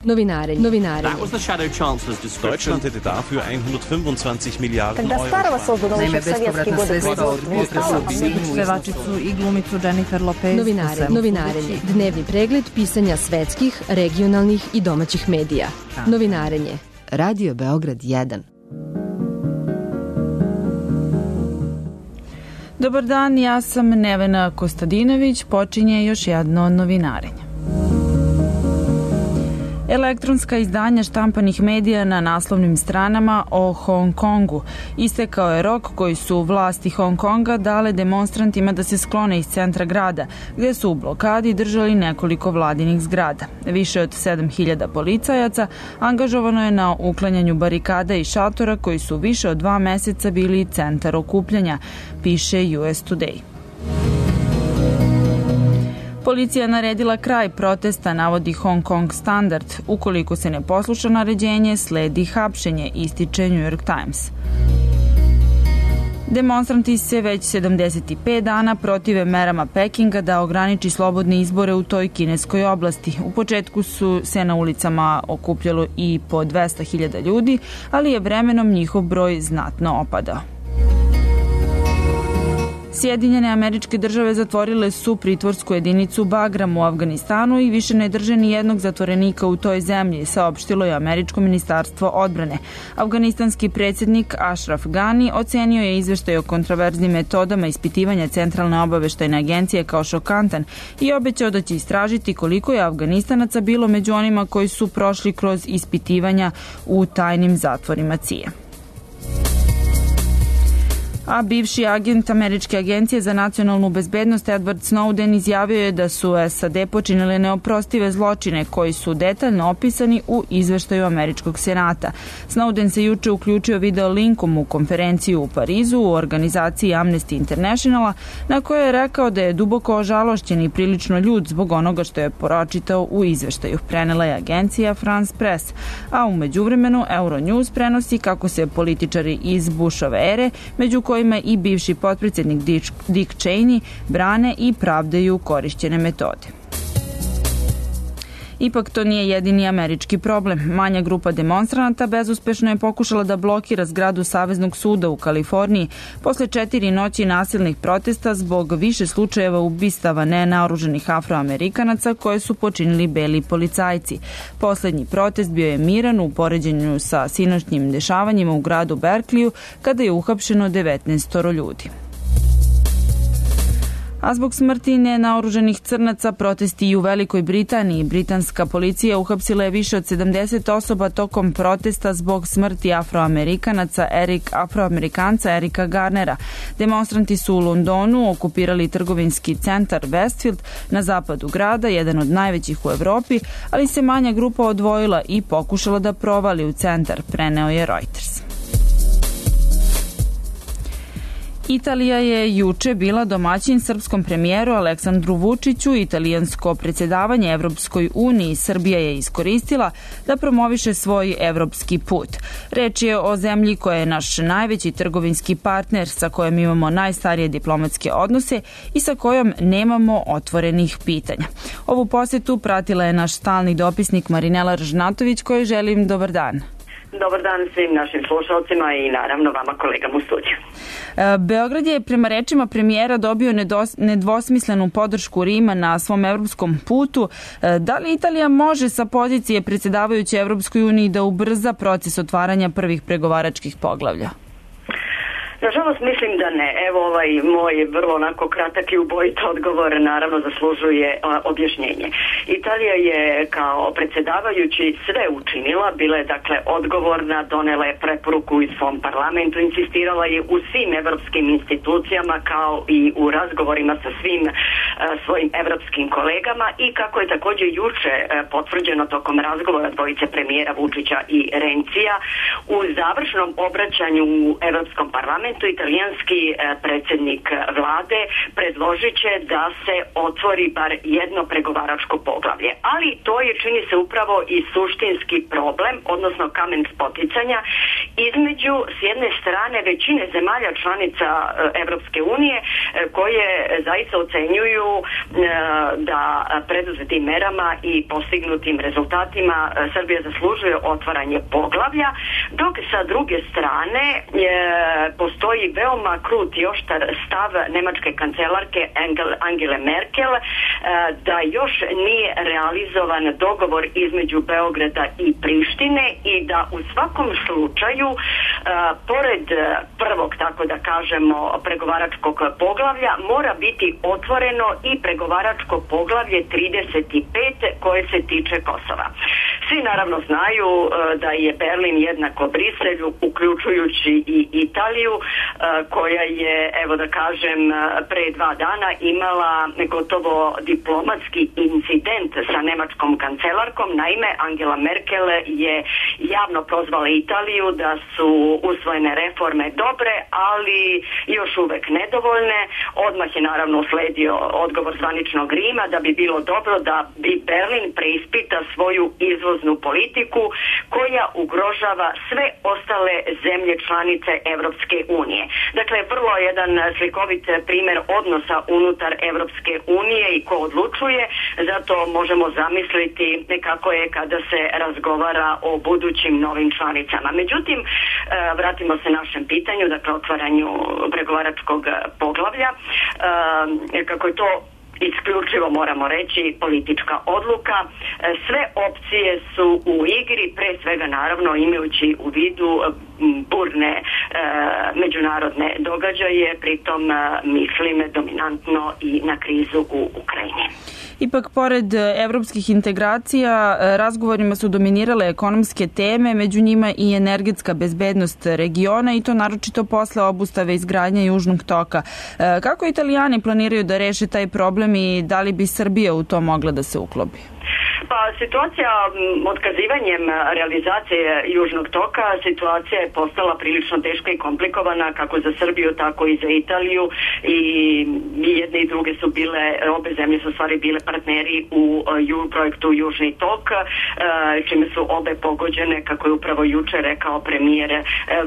Novinarenje. Deutschland hätte dafür 125 Milijarden Euro. Naime, bespovratna sredstva od pevačicu i glumicu Jennifer Lopez. Novinarenje. Dnevni pregled pisanja svetskih, regionalnih i domaćih medija. Novinarenje. Radio Beograd 1. Dobar dan, ja sam Nevena Kostadinović, počinje još jedno novinarenje. Elektronska izdanja štampanih medija na naslovnim stranama o Hong Kongu. Istekao je rok koji su vlasti Hong Konga dale demonstrantima da se sklone iz centra grada, gde su u blokadi držali nekoliko vladinih zgrada. Više od 7000 policajaca angažovano je na uklanjanju barikada i šatora koji su više od 2 meseca bili centar okupljanja, piše US Today. Policija naredila kraj protesta, navodi Hong Kong Standard. Ukoliko se ne posluša naređenje, sledi hapšenje, ističe New York Times. Demonstranti se već 75 dana protive merama Pekinga da ograniči slobodne izbore u toj kineskoj oblasti. U početku su se na ulicama okupljalo i po 200.000 ljudi, ali je vremenom njihov broj znatno opadao. Sjedinjene Američke Države zatvorile su pritvorsku jedinicu Bagram u Afganistanu i više ne drže ni jednog zatvorenika u toj zemlji, saopštilo je Američko ministarstvo odbrane. Afganistanski predsjednik Ashraf Ghani ocenio je izveštaj o kontraverznim metodama ispitivanja Centralne obaveštajne agencije kao šokantan i obećao da će istražiti koliko je Afganistanaca bilo među onima koji su prošli kroz ispitivanja u tajnim zatvorima CIA. A bivši agent Američke agencije za nacionalnu bezbednost Edward Snowden izjavio je da su SAD počinile neoprostive zločine koji su detaljno opisani u izveštaju Američkog senata. Snowden se juče uključio video linkom u konferenciju u Parizu u organizaciji Amnesty Internationala, na kojoj je rekao da je duboko ožalošćen i prilično ljut zbog onoga što je pročitao u izveštaju. Prenela je agencija France Press, a u međuvremenu Euronews prenosi kako se političari iz Bushove ere, među kojima i bivši potpredsjednik Dick Cheney, brane i pravdaju korišćene metode. Ipak to nije jedini američki problem. Manja grupa demonstranata bezuspešno je pokušala da blokira zgradu Saveznog suda u Kaliforniji posle 4 noći nasilnih protesta zbog više slučajeva ubistava nenaoruženih Afroamerikanaca koje su počinili beli policajci. Poslednji protest bio je miran u poređenju sa sinoćnim dešavanjima u gradu Berkeliju kada je uhapšeno 19 ljudi. A zbog smrti nenaoruženih crnaca protesti i u Velikoj Britaniji. Britanska policija uhapsila je više od 70 osoba tokom protesta zbog smrti Afroamerikanca Erika Garnera. Demonstranti su u Londonu okupirali trgovinski centar Westfield na zapadu grada, jedan od najvećih u Evropi, ali se manja grupa odvojila i pokušala da provali u centar, preneo je Reuters. Italija je juče bila domaćin srpskom premijeru Aleksandru Vučiću. Italijansko predsjedavanje Evropskoj uniji Srbija je iskoristila da promoviše svoj evropski put. Reč je o zemlji koja je naš najveći trgovinski partner, sa kojom imamo najstarije diplomatske odnose i sa kojom nemamo otvorenih pitanja. Ovu posetu pratila je naš stalni dopisnik Marinela Ržnatović, kojoj želim dobar dan. Dobar dan svim našim slušalcima i naravno vama kolegama u studiju. Beograd je prema rečima premijera dobio nedvosmislenu podršku Rima na svom evropskom putu. Da li Italija može sa pozicije predsjedavajuće Evropskoj uniji da ubrza proces otvaranja prvih pregovaračkih poglavlja? Nažalost, mislim da ne. Evo ovaj moj vrlo onako kratak i ubojit odgovor naravno zaslužuje objašnjenje. Italija je kao predsjedavajući sve učinila, bila je dakle odgovorna, donela je preporuku i svom parlamentu, insistirala je u svim evropskim institucijama kao i u razgovorima sa svim svojim evropskim kolegama i kako je također juče potvrđeno tokom razgovora dvojice premijera Vučića i Rencija u završnom obraćanju u Evropskom parlamentu parlamentu italijanski predsjednik vlade predložit će da se otvori bar jedno pregovaračko poglavlje. Ali to je, čini se, upravo i suštinski problem, odnosno kamen spoticanja između s jedne strane većine zemalja članica Evropske unije koje zaista ocenjuju da preduzetim merama i postignutim rezultatima Srbija zaslužuje otvaranje poglavlja, dok sa druge strane postoji veoma krut i oštar stav nemačke kancelarke Angele Merkel da još nije realizovan dogovor između Beograda i Prištine i da u svakom slučaju pored prvog, tako da kažemo, pregovaračkog poglavlja mora biti otvoreno i pregovaračko poglavlje 35 koje se tiče Kosova. Svi naravno znaju da je Berlin jednako Briselju, uključujući i Italiju, koja je, evo da kažem, pre 2 dana imala gotovo diplomatski incident sa nemačkom kancelarkom. Naime, Angela Merkel je javno prozvala Italiju da su usvojene reforme dobre, ali još uvek nedovoljne. Odmah je naravno usledio odgovor zvaničnog Rima da bi bilo dobro da bi Berlin preispita svoju izvoznu politiku koja ugrožava sve ostale zemlje članice Evropske unije. Dakle, vrlo jedan slikovit primjer odnosa unutar Evropske unije i ko odlučuje, zato možemo zamisliti kako je kada se razgovara o budućim novim članicama. Međutim, vratimo se našem pitanju, dakle otvaranju pregovaračkog poglavlja, kako je to isključivo, moramo reći, politička odluka. Sve opcije su u igri, pre svega naravno imajući u vidu burne međunarodne događaje, pritom mislim dominantno i na krizu u Ukrajini. Ipak, pored evropskih integracija, razgovorima su dominirale ekonomske teme, među njima i energetska bezbednost regiona i to naročito posle obustave izgradnje Južnog toka. Kako Italijani planiraju da reše taj problem i da li bi Srbija u to mogla da se uklopi? Pa situacija otkazivanjem realizacije Južnog toka, situacija je postala prilično teška i komplikovana kako za Srbiju, tako i za Italiju i jedne i druge su bile, obe zemlje su stvari bile partneri u projektu Južni tok, čime su obe pogođene, kako je upravo juče rekao premijer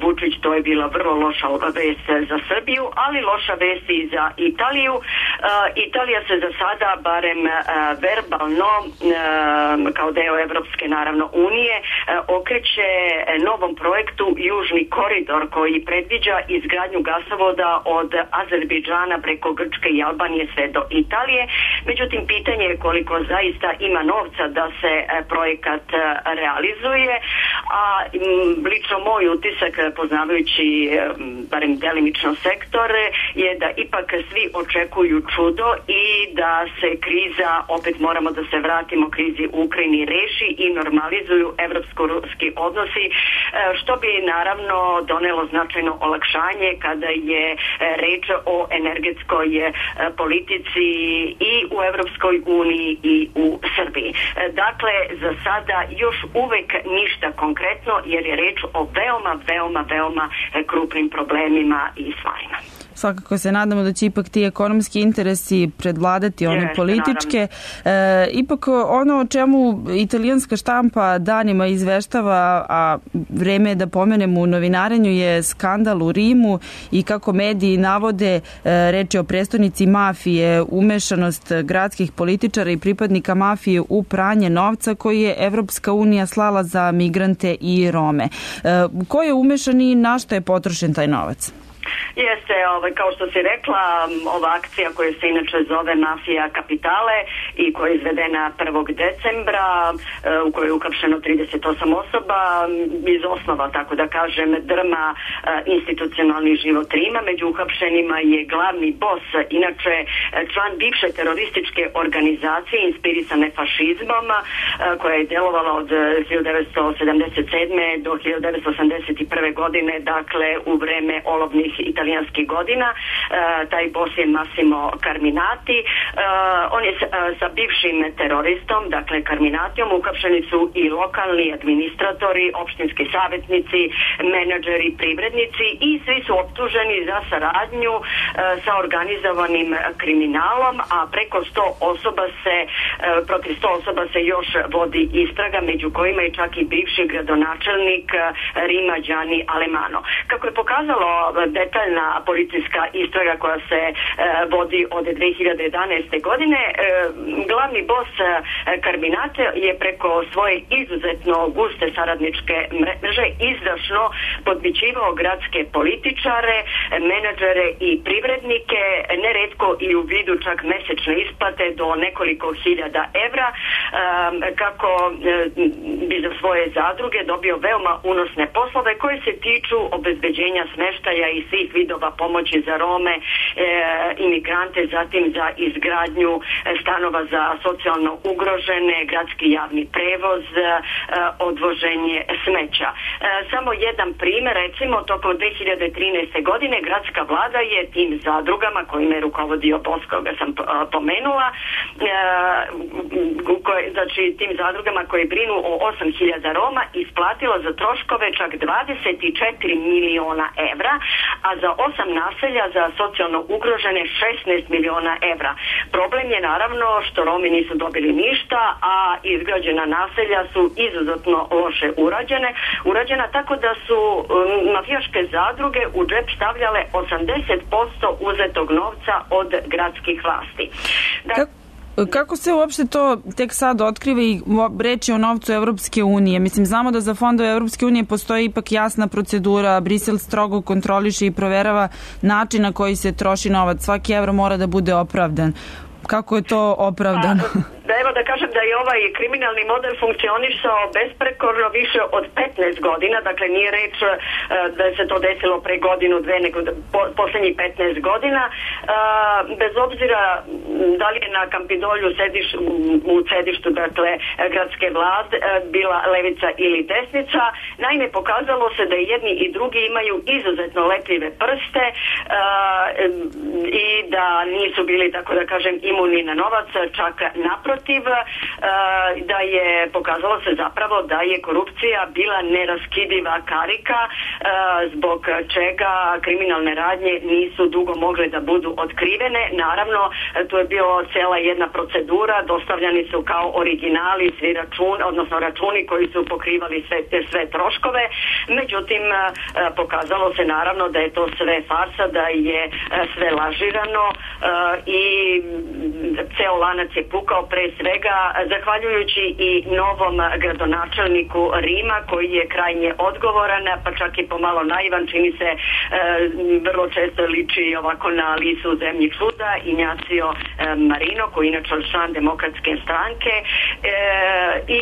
Vučić, to je bila vrlo loša vest za Srbiju, ali loša vest i za Italiju. Italija se za sada, barem verbalno, kao deo Evropske naravno unije, okreće novom projektu Južni koridor koji predviđa izgradnju gasovoda od Azerbejdžana preko Grčke i Albanije sve do Italije. Međutim, pitanje je koliko zaista ima novca da se projekat realizuje, a lično moj utisak, poznavajući barem delimično sektor, je da ipak svi očekuju čudo i da se kriza, opet moramo da se vratimo krizi u Ukrajini, reši i normalizuju evropsko-ruski odnosi, što bi naravno donelo značajno olakšanje kada je reč o energetskoj politici i u Evropskoj uniji i u Srbiji. Dakle, za sada još uvek ništa konkretno jer je reč o veoma krupnim problemima i stvarima. Svakako se nadamo da će ipak ti ekonomski interesi predvladati one političke. Ipak ono o čemu italijanska štampa danima izveštava, a vreme je da pomenemo u novinarenju, je skandal u Rimu i kako mediji navode, reč je o prestonici mafije, umešanost gradskih političara i pripadnika mafije u pranje novca koji je Evropska unija slala za migrante i Rome. Ko je umešan i na što je potrošen taj novac? Jeste, kao što si rekla, ova akcija koja se inače zove Mafija kapitale i koja je izvedena 1. decembra, u kojoj je uhapšeno 38 osoba, iz osnova, tako da kažem, drma institucionalni život Rima. Među uhapšenima je glavni bos, inače član bivše terorističke organizacije inspirisane fašizmom, koja je delovala od 1977. do 1981. godine, dakle u vreme olovnih italijanskih godina. Taj boss je Massimo Carminati. On je sa bivšim teroristom, dakle Carminatijom, uhapšeni su i lokalni administratori, opštinski savjetnici, menadžeri, privrednici i svi su optuženi za saradnju sa organizovanim kriminalom, a preko 100 osoba protiv 100 osoba se još vodi istraga, među kojima je čak i bivši gradonačelnik Rima Gianni Alemanno. Kako je pokazalo detaljna policijska istraga koja se vodi od 2011. godine, glavni bos Carminati je preko svoje izuzetno guste saradničke mreže izdašno podmićivao gradske političare, menadžere i privrednike, neretko i u vidu čak mesečne isplate do nekoliko hiljada evra, kako bi za svoje zadruge dobio veoma unosne poslove koje se tiču obezbeđenja smeštaja i svih vidova pomoći za Rome, imigrante, zatim za izgradnju stanova za socijalno ugrožene, gradski javni prevoz, odvoženje smeća. Samo jedan primjer, recimo tokom 2013. godine gradska vlada je tim zadrugama kojima je rukovodio boss koga sam pomenula, znači tim zadrugama koji brinu o 8.000 Roma, isplatila za troškove čak 24 miliona evra, a za 8 naselja za socijalno ugrožene 16 miliona evra. Problem je naravno što Romi nisu dobili ništa, a izgrađena naselja su izuzetno loše urađena, tako da su mafijaške zadruge u džep stavljale 80% uzetog novca od gradskih vlasti. Kako se uopšte to tek sad otkriva i reći o novcu Evropske unije? Mislim, znamo da za fondove Evropske unije postoji ipak jasna procedura, Brisel strogo kontroliše i proverava način na koji se troši novac. Svaki evro mora da bude opravdan. Kako je to opravdano? Evo da kažem da je ovaj kriminalni model funkcionisao besprekorno više od 15 godina, dakle nije reč da se to desilo pre godinu, dve, nego poslednjih 15 godina. Bez obzira da li je na Kampidolju u sedištu, dakle, gradske vlade bila levica ili desnica, naime pokazalo se da jedni i drugi imaju izuzetno lepljive prste i da nisu bili, tako da kažem, imuni na novac, čak naprotiv, da je pokazalo se zapravo da je korupcija bila neraskidiva karika zbog čega kriminalne radnje nisu dugo mogle da budu otkrivene. Naravno, tu je bilo cela jedna procedura, dostavljani su kao originali svi računi koji su pokrivali sve troškove, međutim pokazalo se naravno da je to sve farsa, da je sve lažirano i ceo lanac je pukao pre svega zahvaljujući i novom gradonačelniku Rima koji je krajnje odgovoran, pa čak i pomalo naivan, čini se vrlo često liči ovako na Alisu u zemlji čuda, Ignacio Marino koji je inače član Demokratske stranke i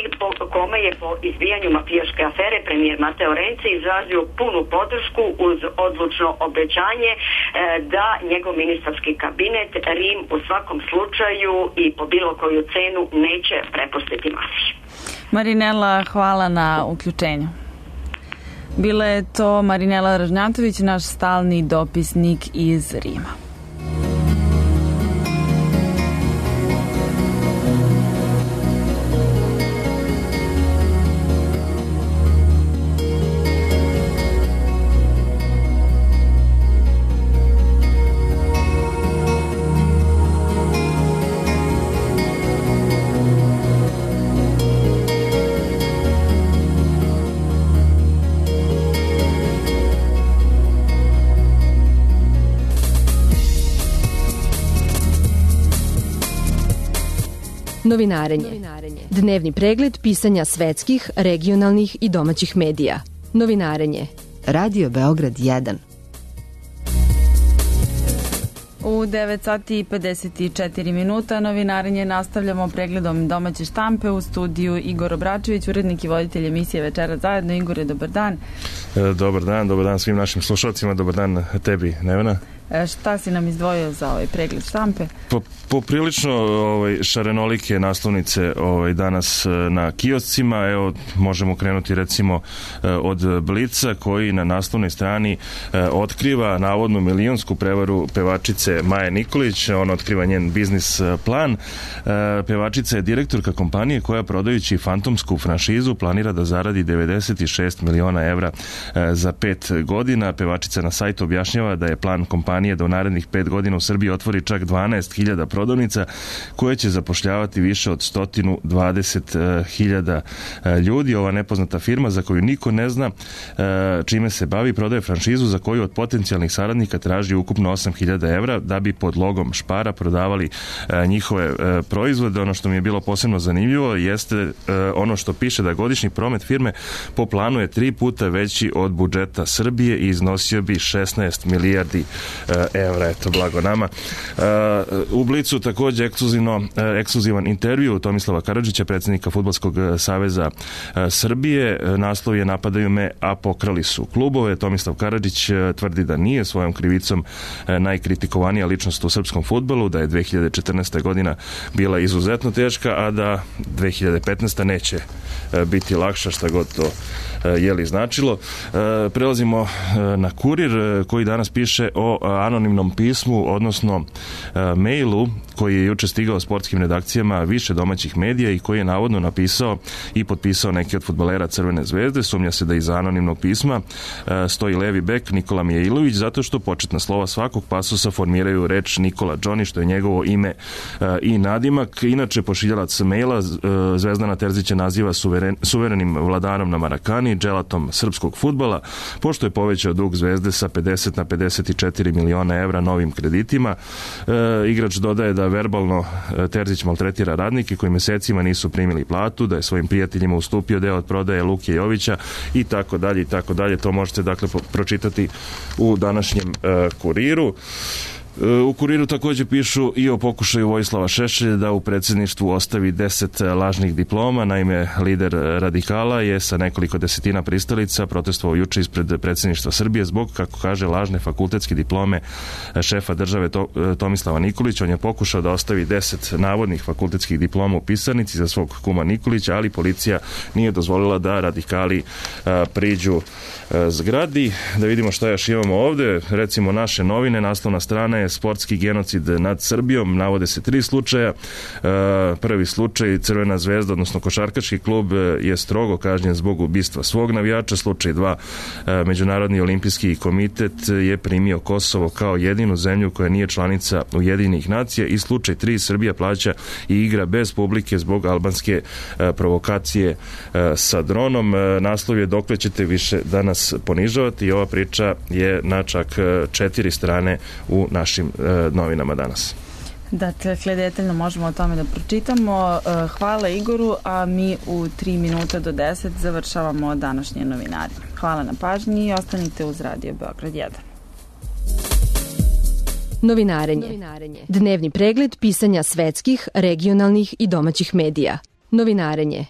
kome je po izbijanju mafijaške afere premijer Matteo Renzi izrazio punu podršku uz odlučno obećanje da njegov ministarski kabinet Rim u svakom slučaju i po bilo koju cenu neće prepustiti mafiji. Marinela, hvala na uključenju. Bila je to Marinela Ražnjatović, naš stalni dopisnik iz Rima. Novinarenje. Dnevni pregled pisanja svetskih, regionalnih i domaćih medija. Novinarenje. Radio Beograd 1. U 9 sati i 54 minuta novinarenje nastavljamo pregledom domaće štampe u studiju Igor Obračević, urednik i voditelj emisije Večera zajedno. Igore, dobar dan. Dobar dan svim našim slušalcima, dobar dan tebi, Nevena. Šta si nam izdvojio za ovaj pregled štampe? Poprilično šarenolike naslovnice danas na kioscima. Evo, možemo krenuti recimo od Blica, koji na naslovnoj strani otkriva navodnu milionsku prevaru pevačice Maje Nikolić. On otkriva njen biznis plan. Pevačica je direktorka kompanije koja, prodajući fantomsku franšizu, planira da zaradi 96 miliona evra za 5 godina. Pevačica na sajtu objašnjava da je plan kompanije da u narednih 5 godina u Srbiji otvori čak 12.000 prodavnica koje će zapošljavati više od 120.000 ljudi. Ova nepoznata firma, za koju niko ne zna čime se bavi, prodaje franšizu za koju od potencijalnih saradnika traži ukupno 8.000 evra da bi pod logom Špara prodavali njihove proizvode. Ono što mi je bilo posebno zanimljivo jeste ono što piše da godišnji promet firme po planu je 3 puta veći od budžeta Srbije i iznosio bi 16 milijardi evra. Eto, blago nama. U Blicu takođe ekskluzivan intervju Tomislava Karadžića, predsjednika Fudbalskog saveza Srbije. Naslov je "Napadaju me, a pokrali su klubove". Tomislav Karadžić tvrdi da nije svojom krivicom najkritikovanija ličnost u srpskom fudbalu, da je 2014. godina bila izuzetno teška, a da 2015. neće biti lakša, šta god to značilo. Prelazimo na Kurir, koji danas piše o anonimnom pismu, odnosno mailu koji je juče stigao sportskim redakcijama više domaćih medija i koji je navodno napisao i potpisao neki od fudbalera Crvene zvezde. Sumnja se da iza anonimnog pisma stoji levi bek Nikola Mijailović, zato što početna slova svakog pasusa formiraju reč Nikola Johnny, što je njegovo ime i nadimak. Inače, pošiljalac maila Zvezdana Terzića naziva suverenim vladarom na Marakani, dželatom srpskog fudbala, pošto je povećao dug Zvezde sa 50 na 54 miliona evra novim kreditima. Igrač dodaje da verbalno Terzić maltretira radnike koji mesecima nisu primili platu, da je svojim prijateljima ustupio deo od prodaje Luke Jovića i tako dalje i tako dalje. To možete dakle pročitati u današnjem Kuriru. U Kuriru takođe pišu i o pokušaju Vojislava Šešelja da u predsjedništvu ostavi 10 lažnih diploma. Naime, lider radikala je sa nekoliko desetina pristalica protestovao juče ispred predsjedništva Srbije zbog, kako kaže, lažne fakultetske diplome šefa države Tomislava Nikolića. On je pokušao da ostavi 10 navodnih fakultetskih diploma u pisarnici za svog kuma Nikolića, ali policija nije dozvolila da radikali priđu zgradi. Da vidimo šta još imamo ovde. Recimo, Naše novine, naslovna strana je "Sportski genocid nad Srbijom". Navode se 3 slučaja. Prvi slučaj, Crvena zvezda, odnosno košarkaški klub, je strogo kažnjen zbog ubistva svog navijača. Slučaj 2, Međunarodni olimpijski komitet je primio Kosovo kao jedinu zemlju koja nije članica Ujedinjenih nacija. I slučaj 3, Srbija plaća i igra bez publike zbog albanske provokacije sa dronom. Naslov je "Dokle ćete više da nas ponižavati", i ova priča je na čak 4 strane u našim novinama danas. Dakle, detaljno možemo o tome da pročitamo. Hvala Igoru, a mi u 3 minuta do 10 završavamo današnje novinari. Hvala na pažnji i ostanite uz Radio Beograd 1. Novinarenje. Dnevni pregled pisanja svetskih, regionalnih i domaćih medija. Novinarenje.